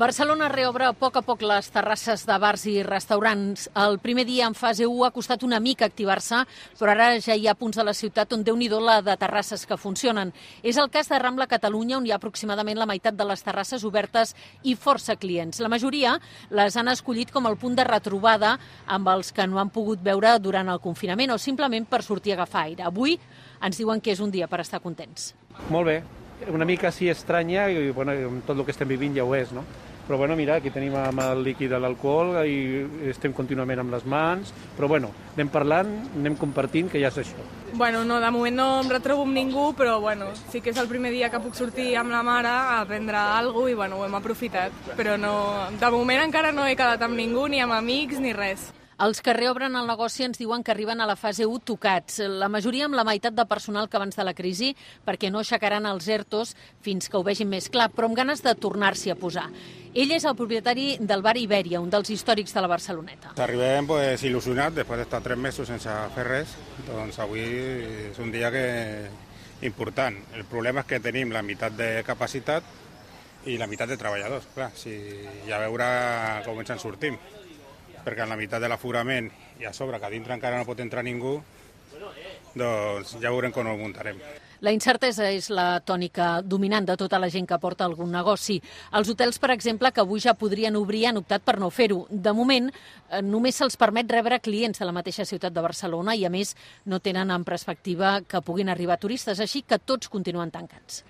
Barcelona reobre a poc les terrasses de bars i restaurants. El primer dia en fase 1 ha costat una mica activar-se, però ara ja hi ha punts de la ciutat on Déu-n'hi-do la de terrasses que funcionen. És el cas de Rambla Catalunya, on hi ha aproximadament la meitat de les terrasses obertes i força clients. La majoria les han escollit com el punt de retrobada amb els que no han pogut veure durant el confinament o simplement per sortir a agafar aire. Avui ens diuen que és un dia per estar contents. Molt bé. Una mica sí estranya i bueno, tot el que estem vivint ja ho és, no? Però bueno, mira, aquí tenim amb el líquid de l'alcohol i estem contínuament amb les mans, però bueno, anem parlant, anem compartint, que ja és això. Bueno, no, de moment no em retrobo amb ningú, però bueno, sí que és el primer dia que puc sortir amb la mare a prendre alguna cosa i bueno, ho hem aprofitat. Però no, de moment encara no he quedat amb ningú, ni amb amics, ni res. Els que reobren el negoci ens diuen que arriben a la fase 1 tocats, la majoria amb la meitat de personal que abans de la crisi, perquè no aixecaran els ERTOs fins que ho vegin més clar, però amb ganes de tornar-s'hi a posar. Ell és el propietari del bar Ibèria, un dels històrics de la Barceloneta. Arribem il·lusionats, després d'estar 3 mesos sense fer res, doncs avui és un dia important. El problema és que tenim la meitat de capacitat i la meitat de treballadors, clar, i a veure com ens en sortim, perquè en la meitat de l'aforament i a sobre que a dintre encara no pot entrar ningú, doncs ja veurem com ho muntarem. La incertesa és la tònica dominant de tota la gent que porta algun negoci. Els hotels, per exemple, que avui ja podrien obrir, han optat per no fer-ho. De moment, només se'ls permet rebre clients de la mateixa ciutat de Barcelona i, a més, no tenen en perspectiva que puguin arribar turistes, així que tots continuen tancats.